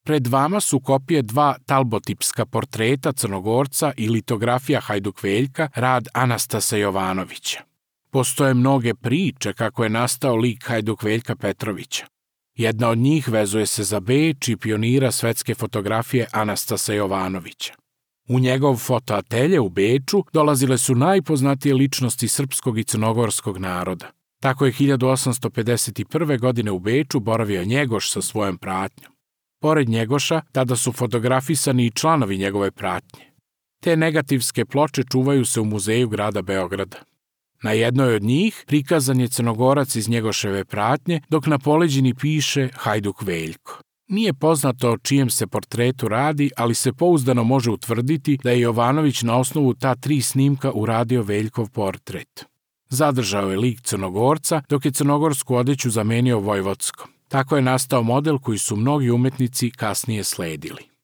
Pred vama su kopije 2 talbotipska portreta Crnogorca i litografija Hajduk Veljka, rad Anastasa Jovanovića. Postoje mnoge priče kako je nastao lik Hajduk Veljka Petrovića. Jedna od njih vezuje se za Beč i pionira svetske fotografije Anastasa Jovanovića. U njegov fotoatelje u Beču dolazile su najpoznatije ličnosti srpskog i crnogorskog naroda. Tako je 1851. godine u Beču boravio Njegoš sa svojom pratnjom. Pored Njegoša, tada su fotografisani i članovi njegove pratnje. Te negativske ploče čuvaju se u muzeju grada Beograda. Na jednoj od njih prikazan je Crnogorac iz Njegoševe pratnje, dok na poleđini piše Hajduk Veljko. Nije poznato o čijem se portretu radi, ali se pouzdano može utvrditi da je Jovanović na osnovu ta 3 snimka uradio Veljkov portret. Zadržao je lik Crnogorca, dok je crnogorsku odeću zamenio vojvodskom. Tako je nastao model koji su mnogi umetnici kasnije sledili.